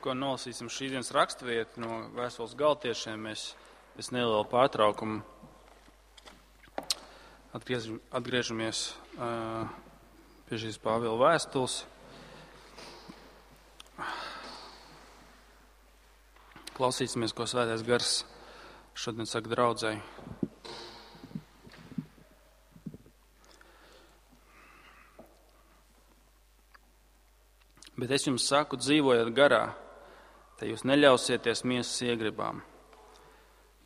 ko nolasīsim šīs dienas raksturvietu no vēstules Galatiešiem, mēs nelielu pārtraukumu atgriežamies pie šīs Pāvila vēstules. Klausīsimies, ko Svētais Gars šodien saka draudzei. Bet es jums saku, dzīvojot garā, te jūs neļausieties miesas iegribām.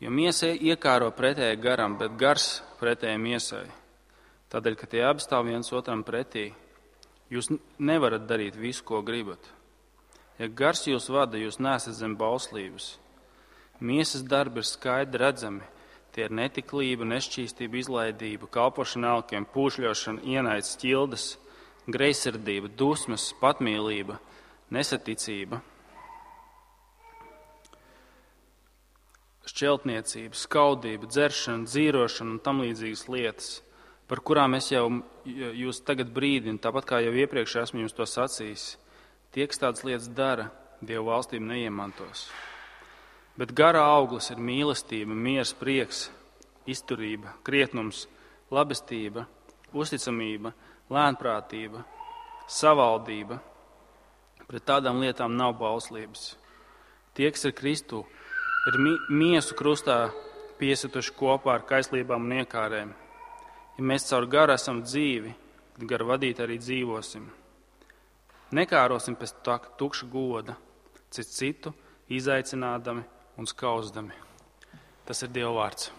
Jo miesa iekāro pretēji garam, bet gars pretēji miesai. Tādēļ, ka tie abi stāv viens otram pretī, jūs nevarat darīt visu, ko gribat. Ja gars jūs vada, jūs neesat zem bauslības. Miesas darbi ir skaidri redzami. Tie ir netiklība, nešķīstība, izlaidība, kalpošana elkiem, pūšļošana, ienaids, ķildes, greizsirdība, dusmas, patmīlība, nesaticība, šķeltniecība, skaudība, dzeršana, dzīrošana un tam līdzīgas lietas, par kurām es jau jūs tagad brīdinu, tāpat kā jau iepriekš esmu jums to sacījis. Tie, kas tādas lietas dara, Dievu valstību neiemantos. Bet gara auglis ir mīlestība, miers, prieks, izturība, krietnums, labestība, uzticamība, lēnprātība, savaldība. Pret tādām lietām nav bauslības. Tie, kas ir Kristū, ir miesu krustā piesituši kopā ar kaislībām un iekārēm. Ja mēs caur garu esam dzīvi, tad garu vadīt arī dzīvosim. Nekārosim pēc tukša goda, citu izaicinādami un skauzdami. Tas ir Dieva vārds.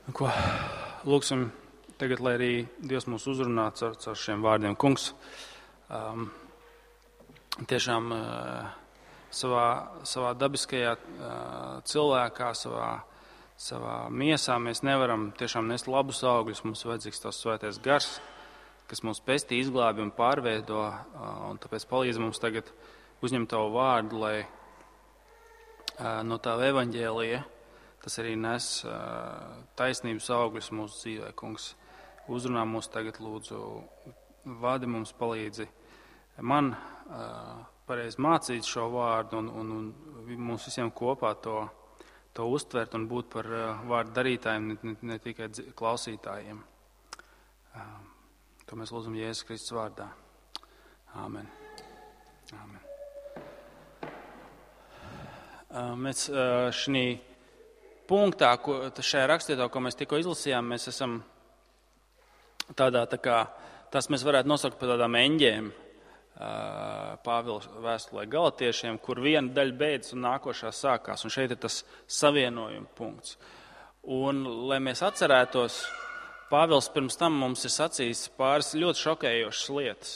Ko lūksim tagad, lai arī Dievs mūs uzrunā caur šiem vārdiem. Kungs, tiešām savā dabiskajā cilvēkā, savā miesā mēs nevaram tiešām nest labus augļus. Mums vajadzīgs tās Svētais Gars, kas mūs pestī, izglābi un pārveido, un tāpēc palīdz mums tagad uzņemt Tavu vārdu, lai no Tava evaņģēlija tas arī nes taisnības augļus mūsu dzīvē. Kungs, uzrunā mūs tagad, lūdzu, vadi mums, palīdzi man pareizi mācīt šo vārdu un mums visiem kopā to uztvert un būt par vārdu darītājiem, ne tikai klausītājiem. To mēs lūdzam Jēzus Kristus vārdā. Āmen. Āmen. Mēs šī punktā, šajā rakstvietā, ko mēs tikko izlasījām, mēs esam tādā tā kā, tas mēs varētu nosaukt par tādām eņģēm Pāvila vēstulē Galatiešiem, kur viena daļa beidzas un nākošā sākās. Un šeit ir tas savienojuma punkts. Un, lai mēs atcerētos, Pāvils pirms tam mums ir sacījis pāris ļoti šokējošas lietas.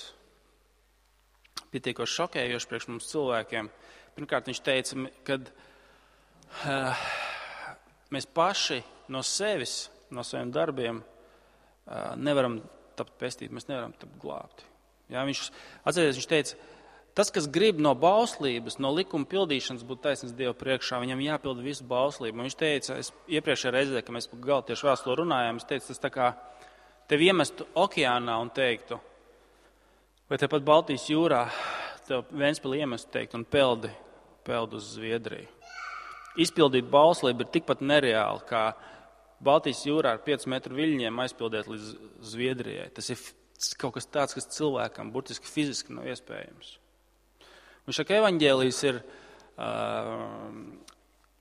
Pietiekoši šokējoši priekš mums cilvēkiem. Pirmkārt, viņš teica, kad mēs paši no sevis, no saviem darbiem nevaram tapt pestīti, mēs nevaram tapt glābti. Jā, viņš teica, tas, kas grib no bauslības, no likuma pildīšanas būt taisnīgs Dieva priekšā, viņam jāpilda visu bauslību. Un viņš teica, es iepriekšējā reizē, kad mēs par Galatiešu vēstuli runājām, es teicu, tas tā kā tevi iemestu okeānā un teiktu, vai tepat Baltijas jūrā tev Ventspili iemestu teiktu un peldi uz Zviedriju. Izpildīt bauslību ir tikpat nereāli, kā Baltijas jūrā ar 5 metru viļņiem aizpildīt līdz Zviedrijai. Tas ir kaut kas tāds, kas cilvēkam burtiski fiziski nav iespējams. Un šaka evaņģēlijs ir,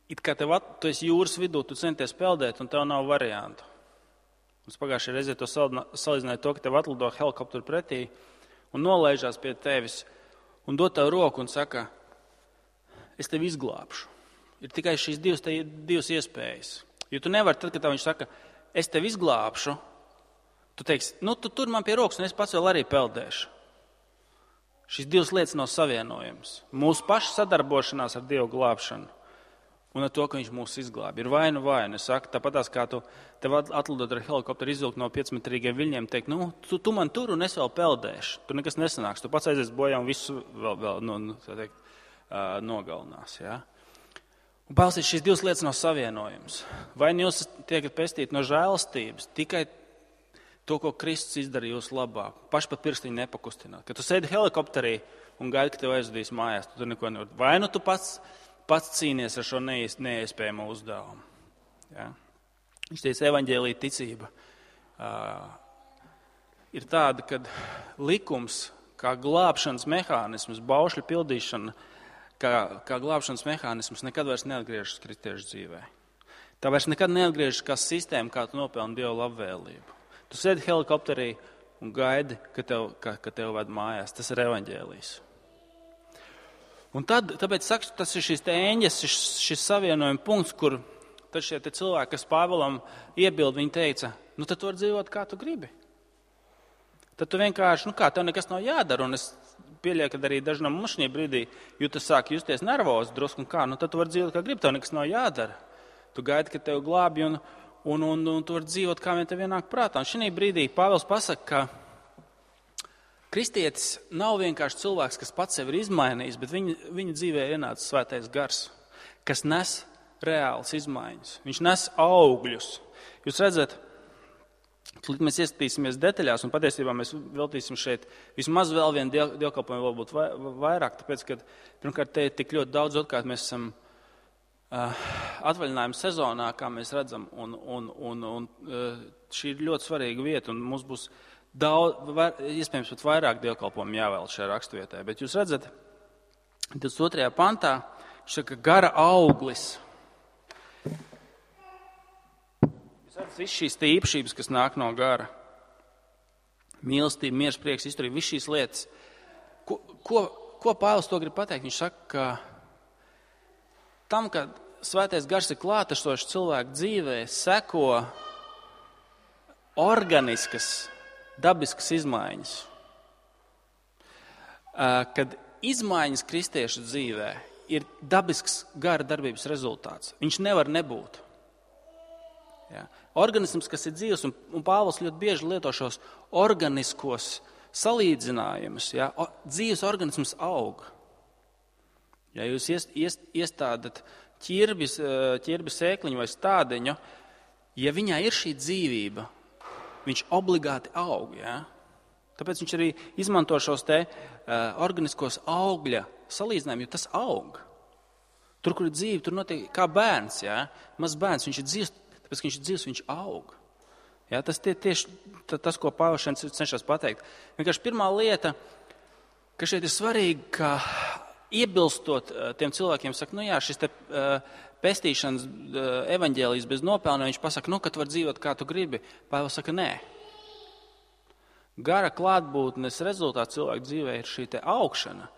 it kā tu esi jūras vidū, tu centies peldēt, un tev nav variantu. Mums pagājušajā reizē to salīdzināja to, ka tev atlido helikopteru pretī un nolaižās pie tevis un dod tev roku un saka, es tevi izglābšu. Ir tikai šīs divas iespējas. Jo tu nevari, tad, kad tev viņš saka, es tevi izglābšu, tu teiksi, tu tur man pie rokas, un es pats vēl arī peldēšu. Šīs divas lietas nav savienojams. Mūsu paša sadarbošanās ar Dievu glābšanu un ar to, ka viņš mūs izglābi. Ir vainu. Es saku, tāpatās kā tev atlidot ar helikopteru izvilkt no 5-metrīgiem viļņiem, teikt, tu man tur un es vēl peldēšu. Tur nekas nesanāks. Tu pats aizies bojā un visu vēl nogalinās. Ja? Un Pāvils šīs divas lietas nav savienojams. Vai jūs tiekat pestīti no žēlastības, tikai to, ko Kristus izdarīja jūsu labā, paši pat pirkstiņu nepakustināt. Kad tu sēdi helikopterī un gaidi, ka tev aizvedīs mājās, tu neko nevar. Vai nu tu pats cīnies ar šo neiespējamo uzdevumu. Ja? Viņš teica, evaņģēlija ticība ir tāda, kad likums, kā glābšanas mehānisms, baušļu pildīšana, kā glābšanas mehānisms nekad vairs neatgriežas kristiešu dzīvē. Tā vairs nekad neatgriežas kā sistēma, kā tu nopelni Dieva labvēlību. Tu sēdi helikopterī un gaidi, ka tev ved mājās. Tas ir evaņģēlijs. Un tāpēc saku, tas ir šis eņģes, šis savienojuma punkts, kur tad šie cilvēki, kas Pāvilam iebild, viņi teica, nu tad tu vari dzīvot, kā tu gribi. Tad tu vienkārši, tev nekas nav jādara, un es pieļauju, ka arī daži no mums šajā brīdī jūtas sāk justies nervozi drusku, un tad tu vari dzīvot, kā gribi, tev nekas nav jādara. Tu gaidi, ka tev glābi, un tu vari dzīvot, kā vien tev ienāk prātā. Un šajā brīdī Pāvils pasaka, ka kristietis nav vienkārši cilvēks, kas pats sevi ir izmainījis, bet viņa dzīvē ir ienācis svētais gars, kas nes reāls izmaiņas. Viņš nes augļus. Jūs redzat, mēs ieskatīsimies detaļās, un patiesībā mēs veltīsim šeit vismaz vēl vienu dievkalpojumu, varbūt vairāk, tāpēc, ka pirmkārt te ir tik ļoti daudz, otrkārt mēs esam atvaļinājuma sezonā, kā mēs redzam, un šī ir ļoti svarīga vieta, un mums būs iespējams pat vairāk dievkalpojumu jāvēl šajā raksturvietē. Bet jūs redzat, 22. pantā, viņš saka, gara auglis. Jūs redzat, viss šīs īpašības, kas nāk no gara. Mīlestība, miers, prieks, izturība, viss šīs lietas. Ko Pāvils to grib pateikt? Viņš saka, ka tam, kad svētais gars ir klātesošs cilvēku dzīvē, seko organiskas, dabiskas izmaiņas. Kad izmaiņas kristiešu dzīvē ir dabisks gara darbības rezultāts, viņš nevar nebūt. Ja? Organisms, kas ir dzīvs, un Pāvils ļoti bieži lieto šos organiskos salīdzinājumus, ja? Dzīves organisms aug. Ja jūs iestādat ķirbi sēkliņu vai stādiņu, ja viņā ir šī dzīvība, viņš obligāti aug. Ja? Tāpēc viņš arī izmanto šos organiskos augļa salīdzinājumus, jo tas aug. Tur, kur ir dzīve, tur notiek kā bērns. Ja? Mazs bērns, viņš ir dzīvs, tāpēc, ka viņš ir dzīvs, viņš aug. Ja? Tas tieši tas, ko Pāvils šeit cenšas pateikt. Vienkārši pirmā lieta, ka šeit ir svarīgi, ka iebilstot tiem cilvēkiem, saka, šis pestīšanas evaņģēlijs bez nopelna, viņš pasaka, ka tu vari dzīvot, kā tu gribi. Pāvils saka, nē. Gara klātbūtnes rezultāts cilvēku dzīvē ir šī augšana.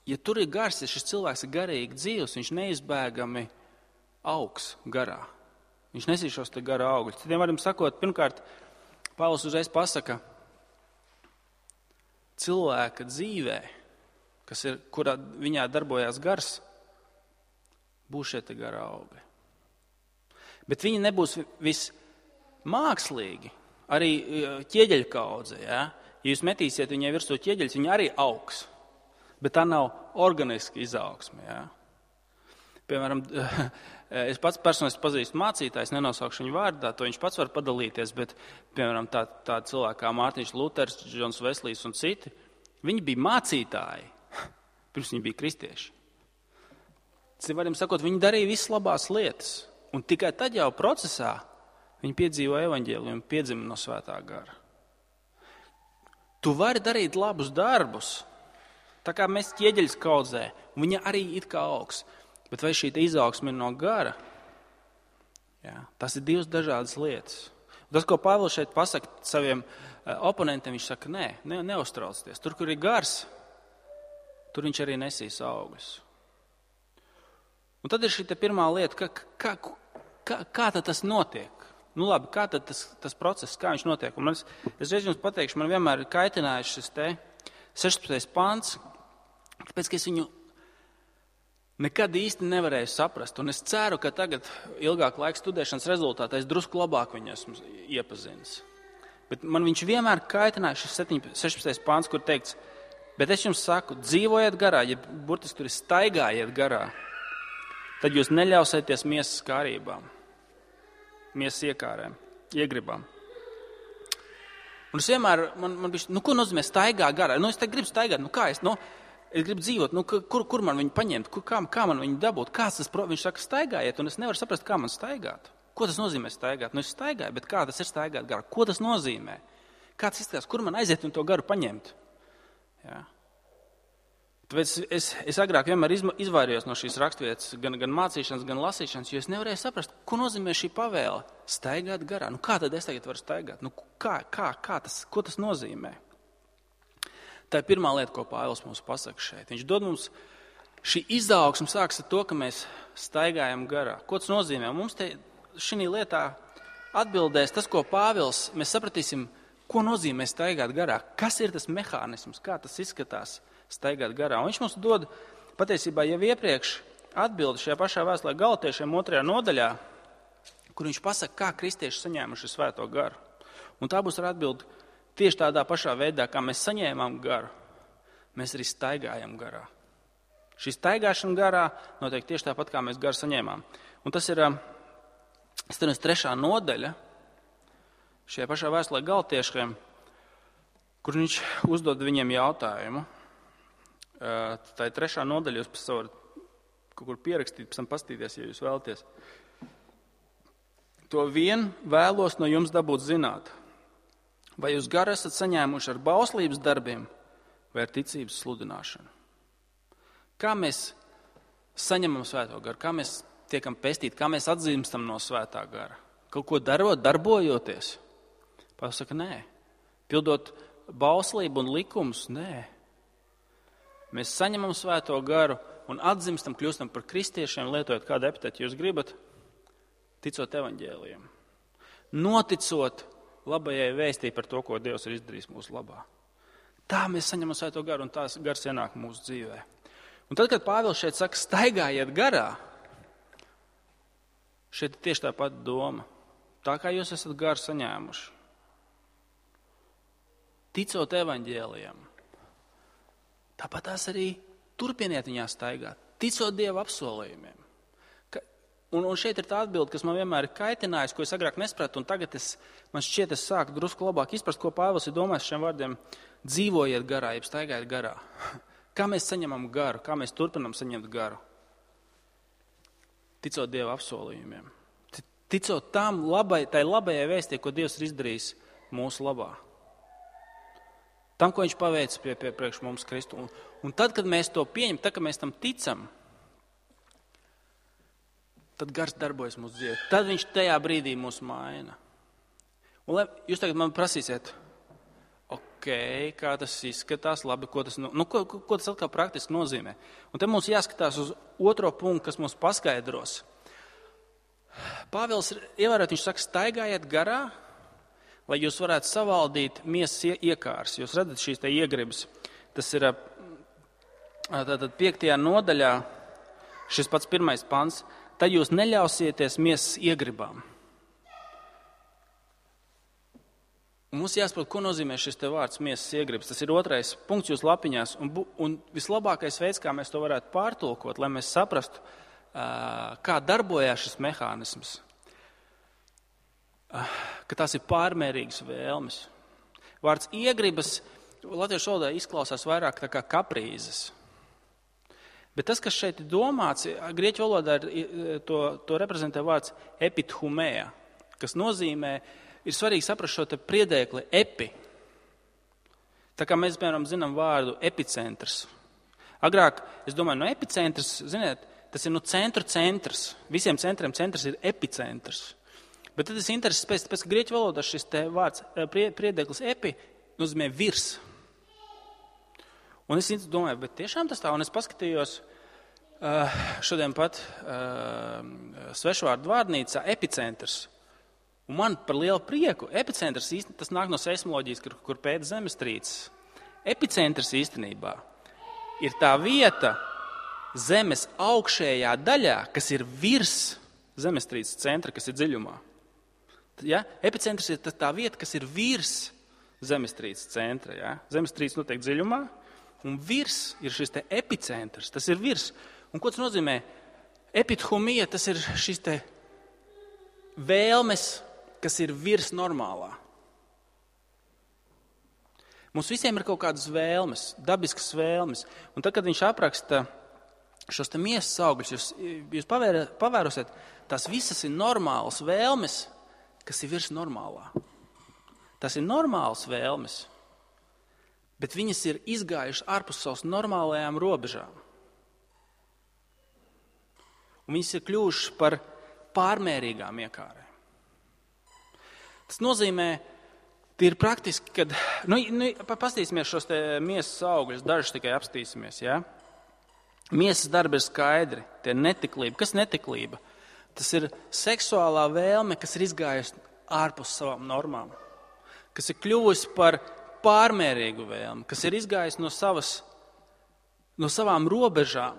Ja tur ir gars, ja šis cilvēks ir garīgi dzīvs, viņš neizbēgami augs garā. Viņš nesīs šos gara augļus. Citiem varam sakot, pirmkārt, Pāvils uzreiz pasaka, cilvēka dzīvē, kurā viņā darbojās gars, būs šie gara augļi. Bet viņi nebūs vismākslīgi. Arī ķieģeļu kaudze. Ja? Ja jūs metīsiet viņai virsū ķieģeļus, viņa arī augs. Bet tā nav organiska izaugsme. Ja? Piemēram, es pats personiski pazīstu mācītājs, nenosaukšu viņu vārdā, to viņš pats var padalīties, bet, piemēram, tā cilvēki kā Mārtiņš Luters, Džons Veslijs un citi, viņi bija mācītāji. Pirms viņi bija kristieši. Citiem sakot, viņi darīja visas labās lietas. Un tikai tad jau procesā viņi piedzīvo evaņģēliju un piedzima no svētā gara. Tu vari darīt labus darbus, tā kā mēs ķieģeļus kaudzē, un viņa arī it kā augs. Bet vai šī izaugsme ir no gara? Jā, tas ir divas dažādas lietas. Un tas, ko Pāvils šeit pasaka saviem oponentiem, viņš saka, neuztraucieties. Tur, kur ir gars, tur viņš arī nesīs augļus. Un tad ir šī pirmā lieta, kā tad tas notiek? Nu labi, kā tad tas process, kā viņš notiek? Un es reiz jums pateikšu, man vienmēr ir kaitinājis šis 16. pants, tāpēc, ka es viņu nekad īsti nevarēju saprast. Un es ceru, ka tagad ilgāk laika studēšanas rezultātā es drusku labāk viņu esmu iepazinis. Bet man viņš vienmēr kaitināja šis 16. pants, kur teikts, bet es jums saku, dzīvojiet garā, ja burtiski tur ir staigājiet garā, tad jūs neļausieties miesas kārībām, miesas iekārēm, iegribām. Un es vienmēr, man bišķi, ko nozīmē staigāt garā? Es te gribu staigāt, kā es gribu dzīvot, kur man viņu paņemt, kā man viņu dabūt, viņš saka staigājiet, un es nevaru saprast, kā man staigāt. Ko tas nozīmē staigāt? Es staigāju, bet kā tas ir staigāt garā? Ko tas nozīmē? Kā tas izskatās, kur man aiziet un to garu paņemt? Jā. Tāpēc es agrāk vienmēr izvairījos no šīs raksturvietas, gan mācīšanas, gan lasīšanas, jo es nevarēju saprast, ko nozīmē šī pavēle staigāt garā. Kā tad es tagad varu staigāt? Ko tas nozīmē? Tā ir pirmā lieta, ko Pāvils mums pasaka šeit. Viņš dod mums šī izaugsme sākas ar to, ka mēs staigājam garā. Ko tas nozīmē? Mums te šī lietā atbildēs tas, ko Pāvils, mēs sapratīsim, ko nozīmē staigāt garā. Kas ir tas mehānisms, kā tas izskatās? Staigāt garā. Un viņš mums dod patiesībā jau iepriekš atbildi šajā pašā vēstulē Galatiešiem 2. nodaļā, kur viņš pasaka, kā kristieši saņēmuši svēto garu. Un tā būs ar atbildi tieši tādā pašā veidā, kā mēs saņēmām garu, mēs arī staigājam garā. Šī staigāšana garā notiek tieši tāpat, kā mēs garu saņēmām. Un tas ir 3. nodaļa šajā pašā vēstulē Galatiešiem, kur viņš uzdod viņiem jautājumu. Tā ir 3. nodaļa, jūs varat kaut kur pierakstīt, pēc tam pastīties, ja jūs vēlaties. To vien vēlos no jums dabūt zināt, vai jūs garu esat saņēmuši ar bauslības darbiem vai ar ticības sludināšanu. Kā mēs saņemam svēto garu, kā mēs tiekam pestīti, kā mēs atzīstam no svētā gara? Kaut ko darot, darbojoties? Pasaka, nē. Pildot bauslību un likumus? Nē. Mēs saņemam svēto garu un atzimstam, kļūstam par kristiešiem, lietojot kādu epitetu jūs gribat, ticot evaņģēlijam. Noticot labajai vēstī par to, ko Dievs ir izdarījis mūsu labā. Tā mēs saņemam svēto garu un tās gars ienāk mūsu dzīvē. Un tad, kad Pāvils šeit saka, staigājiet garā, šeit ir tieši tā pati doma. Tā kā jūs esat garu saņēmuši. Ticot evaņģēlijam. Tāpat tās arī turpiniet viņā staigāt, ticot Dieva apsolījumiem. Un šeit ir tā atbilde, kas man vienmēr ir kaitinājusi, ko es agrāk nespratu, un tagad man šķiet, es sāku drusku labāk izprast, ko Pāvils ir domājis šiem vārdiem. Dzīvojiet garā, jeb staigājiet garā. Kā mēs saņemam garu, kā mēs turpinam saņemt garu? Ticot Dieva apsolījumiem. Ticot tai labajai vēstī, ko Dievs ir izdarījis mūsu labā. Tam, ko viņš paveica priekš mums Kristu. Un tad, kad mēs to pieņemam, tad, kad mēs tam ticam, tad gars darbojas mūsu dzīvē. Tad viņš tajā brīdī mūs maina. Un jūs tagad man prasīsiet, kā tas izskatās, labi, ko tas atkal praktiski nozīmē. Un te mums jāskatās uz otro punktu, kas mums paskaidros. Pāvils ievērot, viņš saka, staigājiet garā, lai jūs varētu savaldīt miesas iekārs. Jūs redzat šīs te iegribas. Tas ir tātad 5. nodaļā, šis pats 1. pants. Tad jūs neļausieties miesas iegribām. Un mums jāsaprot, ko nozīmē šis te vārds miesas iegribas. Tas ir 2. punkts jūsu lapiņās. Un vislabākais veids, kā mēs to varētu pārtulkot, lai mēs saprastu, kā darbojās šis mehānisms. Ka tās ir pārmērīgas vēlmes. Vārds iegribas latviešu valodā izklausās vairāk tā kā kaprīzes. Bet tas, kas šeit ir domāts, grieķu valodā to reprezentē vārds epithumēja, kas nozīmē, ir svarīgi saprast šo te priedēkli epi. Tā kā mēs, piemēram, zinām vārdu epicentrs. Agrāk, es domāju, no epicentrs, ziniet, tas ir centrs. Visiem centriem centrs ir epicentrs. Bet tad es interesēs pēc, ka grieķu valodā šis te vārds priedēklis epi nozīmē virs. Un es domāju, bet tiešām tas tā, un es paskatījos šodien pat svešvārdu vārdnīcā epicentrs. Un man par lielu prieku, epicentrs tas nāk no seismoloģijas, kur pēta zemestrīces. Epicentrs īstenībā ir tā vieta zemes augšējā daļā, kas ir virs zemestrīces centra, kas ir dziļumā. Ja? Epicentrs ir tā vieta, kas ir virs zemestrīces centra. Ja? Zemestrīce notiek dziļumā, un virs ir šis te epicentrs, tas ir virs. Un ko tas nozīmē? Epithumija, tas ir šis te vēlmes, kas ir virs normālā. Mums visiem ir kaut kādas vēlmes, dabiskas vēlmes. Un tad, kad viņš apraksta šos te miesas augļus, jūs pavērosiet, tās visas ir normālas vēlmes, kas ir virs normālā. Tas ir normālas vēlmes, bet viņas ir izgājušas ārpus savas normālajām robežām. Un viņas ir kļuvušas par pārmērīgām iekārēm. Tas nozīmē, tie ir praktiski, kad, pastīsimies šos te miesas augļus, dažus tikai apstīsimies, ja? Miesas darbi ir skaidri, tie ir netiklība. Kas netiklība? Tas ir seksuālā vēlme, kas ir izgājusi ārpus savām normām, kas ir kļuvusi par pārmērīgu vēlmi, kas ir izgājusi no savām robežām,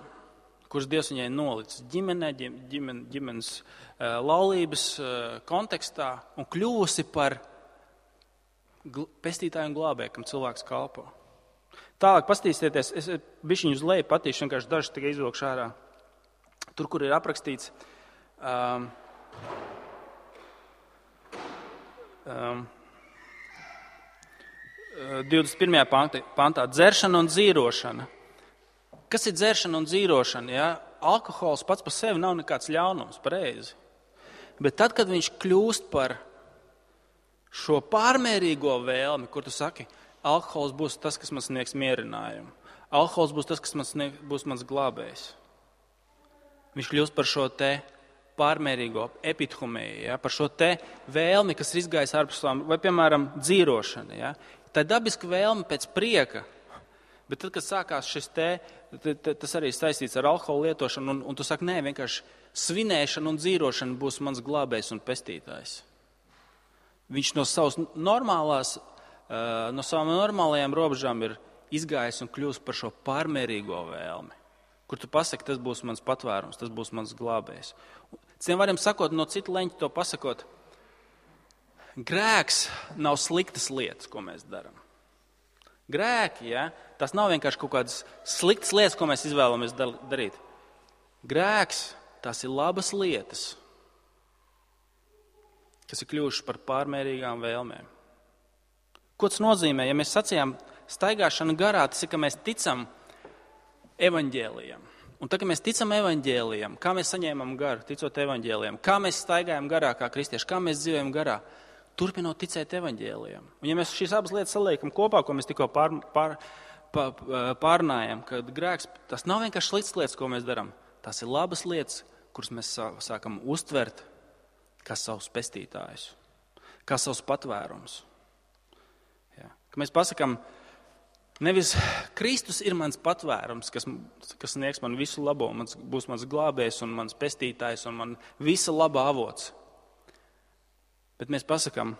kuras Dievs viņai nolicis ģimenē, ģimenes laulības kontekstā un kļuvusi par pestītāju un glābēju, kam cilvēks kalpo. Tālāk pastīsieties, es bišķiņu uz leju patīšu, vienkārši dažs tikai izvilkšu ārā. Tur, kur ir aprakstīts 21. pantā dzeršana un dzīrošana. Kas ir dzeršana un dzīrošana? Ja? Alkohols pats par sevi nav nekāds ļaunums, pareizi. Bet tad, kad viņš kļūst par šo pārmērīgo vēlmi, kur tu saki, alkohols būs tas, kas man sniegs mierinājumu. Alkohols būs tas, kas būs mans glābējs. Viņš kļūst par šo te pārmērīgo epithumēju, ja? Par šo te vēlmi, kas ir izgājis ārpus savām, vai, piemēram, dzīrošana. Ja? Tā ir dabiska vēlme pēc prieka, bet tad, kad sākās šis tas arī saistīts ar alkoholu lietošanu, un tu saki, nē, vienkārši svinēšana un dzīrošana būs mans glābējs un pestītājs. Viņš no savām normālajām robežām ir izgājis un kļūst par šo pārmērīgo vēlmi, kur tu pasaki, tas būs mans patvērums, tas būs mans glābējs. Citiem varam sakot, no citu leņķu to pasakot, grēks nav sliktas lietas, ko mēs darām. Grēki, ja, tas nav vienkārši kaut kādas sliktas lietas, ko mēs izvēlamies darīt. Grēks, tās ir labas lietas, kas ir kļuvušas par pārmērīgām vēlmēm. Ko tas nozīmē? Ja mēs sacījām staigāšana garā, tas ir, ka mēs ticam evaņģēlijam. Un tad, kad mēs ticam evaņģēlijam, kā mēs saņēmam garu, ticot evaņģēlijam, kā mēs staigājam garā kā kristieši, kā mēs dzīvojam garā, turpinot ticēt evaņģēlijam. Un ja mēs šīs abas lietas saliekam kopā, ko mēs tikko pārnājam, kad grēks, tas nav vienkārši sliktas lietas, ko mēs darām. Tas ir labas lietas, kuras mēs sākam uztvert kā savus pestītājus, kā savus patvērums. Ja. Ka mēs pasakam, nevis Kristus ir mans patvērums, kas sniegs man visu labo, būs mans glābējs un mans pestītājs un man visa laba avots. Bet mēs pasakam,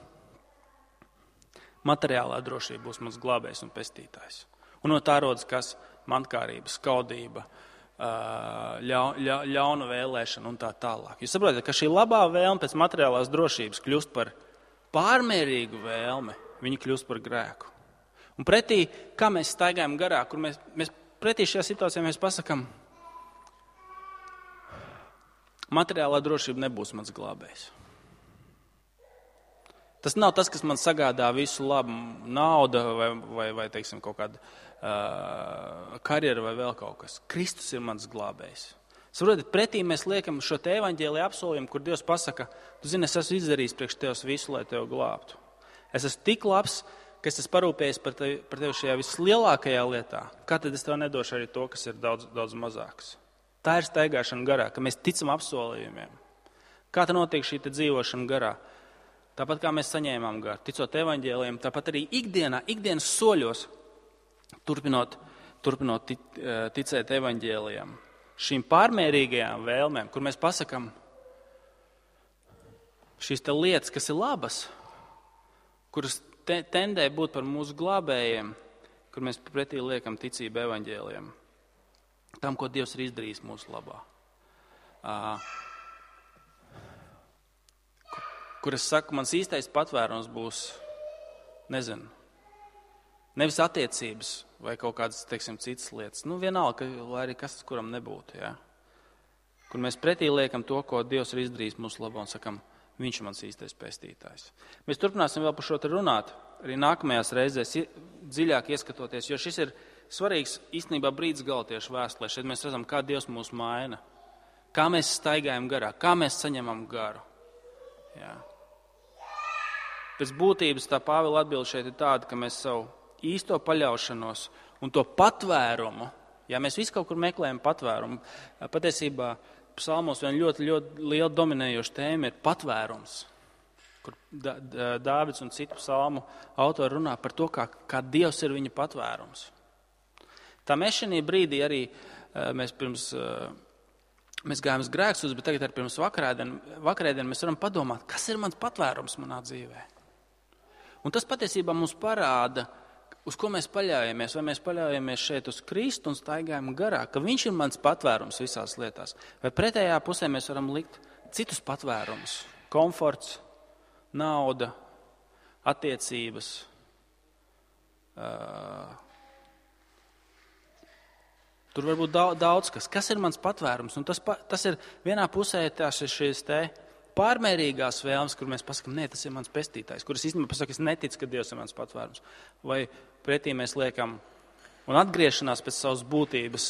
materiālā drošība būs mans glābējs un pestītājs. Un no tā rodas kas? Mantkārība, skaudība, ļauna vēlēšana un tā tālāk. Jūs saprotat, ka šī labā vēlme pēc materiālās drošības kļūst par pārmērīgu vēlmi, viņa kļūst par grēku. Un pretī, kā mēs staigājam garā, kur mēs pretī šajā situācijā mēs pasakam, materiālā drošība nebūs mans glābējs. Tas nav tas, kas man sagādā visu labu, nauda vai teiksim, kaut kāda karjera vai vēl kaut kas. Kristus ir mans glābējs. Saprotat, pretī mēs liekam šo te evaņģēlija apsolījumu, kur Dievs pasaka, tu zini, es esmu izdarījis priekš Tevs visu, lai Tev glābtu. Es esmu tik labs, ka es esmu parūpējies par tevi šajā vislielākajā lietā. Kā tad es Tev nedošu arī to, kas ir daudz, daudz mazāks? Tā ir staigāšana garā, ka mēs ticam apsolījumiem. Kā tā notiek šī te dzīvošana garā? Tāpat kā mēs saņēmām garu, ticot evaņģēlijiem, tāpat arī ikdienas soļos, turpinot ticēt evaņģēlijiem. Šīm pārmērīgajām vēlmēm, kur mēs pasakam šīs te lietas, kas ir labas, kuras tendē būt par mūsu glābējiem, kur mēs pretī liekam ticību evaņģēlijiem, tam, ko Dievs ir izdarījis mūsu labā. Kur es saku, mans īstais patvērums būs, nevis attiecības vai kaut kādas, teiksim, citas lietas. Vienalga, lai arī kas, kuram nebūtu, ja? Kur mēs pretī liekam to, ko Dievs ir izdarījis mūsu labā un sakam, viņš ir mans īstais pestītājs. Mēs turpināsim vēl par šo te runāt, arī nākamajās reizēs dziļāk ieskatoties, jo šis ir svarīgs īstenībā brīdis Galatiešu vēstulē. Šeit mēs redzam, kā Dievs mūs maina, kā mēs staigājam garā, kā mēs saņemam garu. Jā. Pēc būtības tā Pāvila atbilde šeit ir tāda, ka mēs savu īsto paļaušanos un to patvērumu, ja mēs visi kaut kur meklējam patvērumu, patiesībā psalmos vien ļoti, ļoti liela dominējoša tēma ir patvērums, kur Dāvids un citu psalmu autori runā par to, kā Dievs ir viņa patvērums. Tā mēs šajā brīdī arī mēs gājām uz grēksūdzi, bet tagad arī pirms vakarēdien mēs varam padomāt, kas ir mans patvērums manā dzīvē. Un tas patiesībā mums parāda, uz ko mēs paļaujamies. Vai mēs paļaujamies šeit uz Kristu un staigājam garā, ka viņš ir mans patvērums visās lietās. Vai pretējā pusē mēs varam likt citus patvērumus. Komforts, nauda, attiecības. Tur var būt daudz kas. Kas ir mans patvērums? Un tas ir vienā pusē tās ir šīs te pārmērīgās vēlmes, kur mēs pasakām, nē, tas ir mans pestītājs, kuras īstenībā pasaka, es neticu, ka Dievs ir mans patvērums. Vai pretī mēs liekam un atgriešanās pēc savas būtības,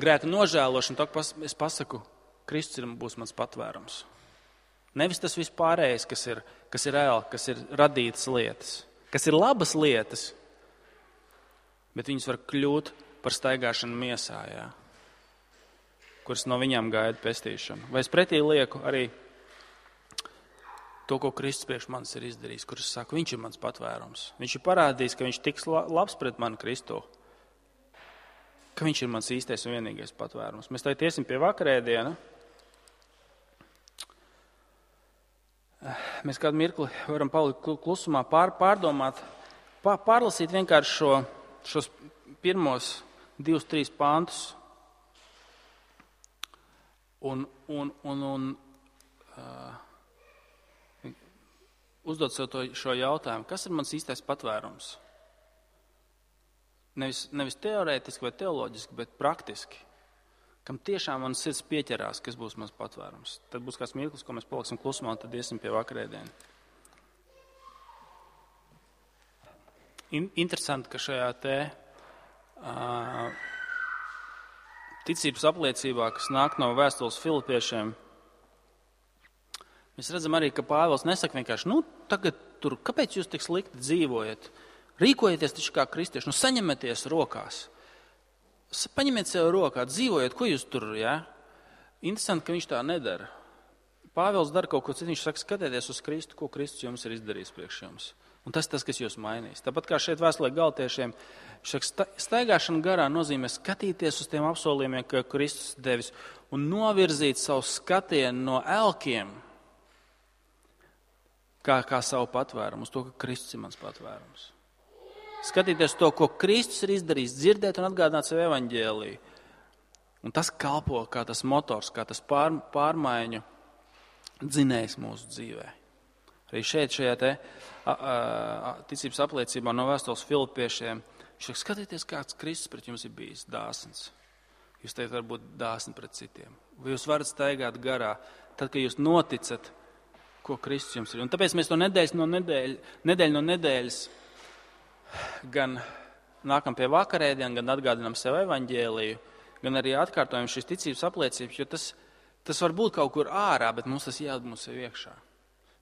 grēka nožēlošana, tad es pasaku, Kristus būs mans patvērums. Nevis tas viss pārējais, kas ir reāli, kas ir radītas lietas, kas ir labas lietas, bet viņas var kļūt par staigāšanu miesā, jā, kuras no viņām gaida pestīšanu. Vai es pretī lieku arī to, ko Kristus priekš manis ir izdarījis, kurš saka, viņš ir mans patvērums. Viņš ir parādījis, ka viņš tiks labs pret mani Kristu, ka viņš ir mans īstais un vienīgais patvērums. Mēs tagad iesim pie vakarēdiena. Mēs kādu mirkli varam palikt klusumā, pārdomāt, pārlasīt vienkārši šos pirmos 2-3 pantus un uzdot sev šo jautājumu, kas ir mans īstais patvērums? Nevis teorētiski vai teoloģiski, bet praktiski. Kam tiešām man sirds pieķerās, kas būs mans patvērums. Tad būs kāds mirklis, ko mēs paliksim klusumā, un tad iesim pie vakarēdiena. Interesanti, ka šajā ticības apliecībā, kas nāk no vēstules Filipiešiem, mēs redzam arī, ka Pāvils nesaka vienkārši, tagad tur, kāpēc jūs tik slikti dzīvojat? Rīkojieties taču kā kristieši, saņemieties rokās. Paņemiet sev rokā, dzīvojiet, ko jūs tur, jā? Interesanti, ka viņš tā nedara. Pāvils dara kaut ko citu, viņš saka, skatieties uz Kristu, ko Kristus jums ir izdarījis priekš jums. Un tas, kas jūs mainīs. Tāpat kā šeit vēstulē Galatiešiem, viņš saka, staigāšana garā nozīmē skatīties uz tiem apsolījumiem, ko Kristus devis, un novirzīt savu skatienu no elkiem, kā savu patvērumu, uz to, ka Kristus ir mans patvērums. Skatīties to, ko Kristus ir izdarījis, dzirdēt un atgādināt sev evaņģēliju. Un tas kalpo kā tas motors, kā tas pārmaiņu dzinējs mūsu dzīvē. Arī šeit, šajā ticības apliecībā no vēstules Filipiešiem, viņš saka, skatieties, kāds Kristus pret jums ir bijis dāsns. Jūs teikt, var būt dāsni pret citiem. Vai jūs varat staigāt garā, tad, kad jūs noticat, ko Kristus jums ir. Un tāpēc mēs to nedēļu no nedēļas gan nākam pie vakarēdiena, gan atgādinām sev evaņģēliju, gan arī atkārtojam šīs ticības apliecības, jo tas var būt kaut kur ārā, bet mums tas jādod mums sev iekšā.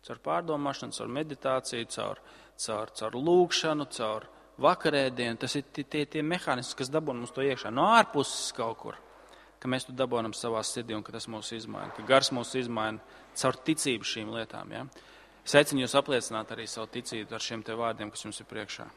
Caur pārdomāšanu, caur meditāciju, caur lūgšanu, caur vakarēdienu. Tas ir tie mehānismi, kas dabūna mums to iekšā. No ārpuses kaut kur, ka mēs to dabūnam savā sirdī un ka tas mūs izmaina, ka gars mūs izmaina caur ticību šīm lietām. Ja? Es aicinu jūs apliecināt arī savu ticību ar šiem te vārdiem, kas jums ir priekšā.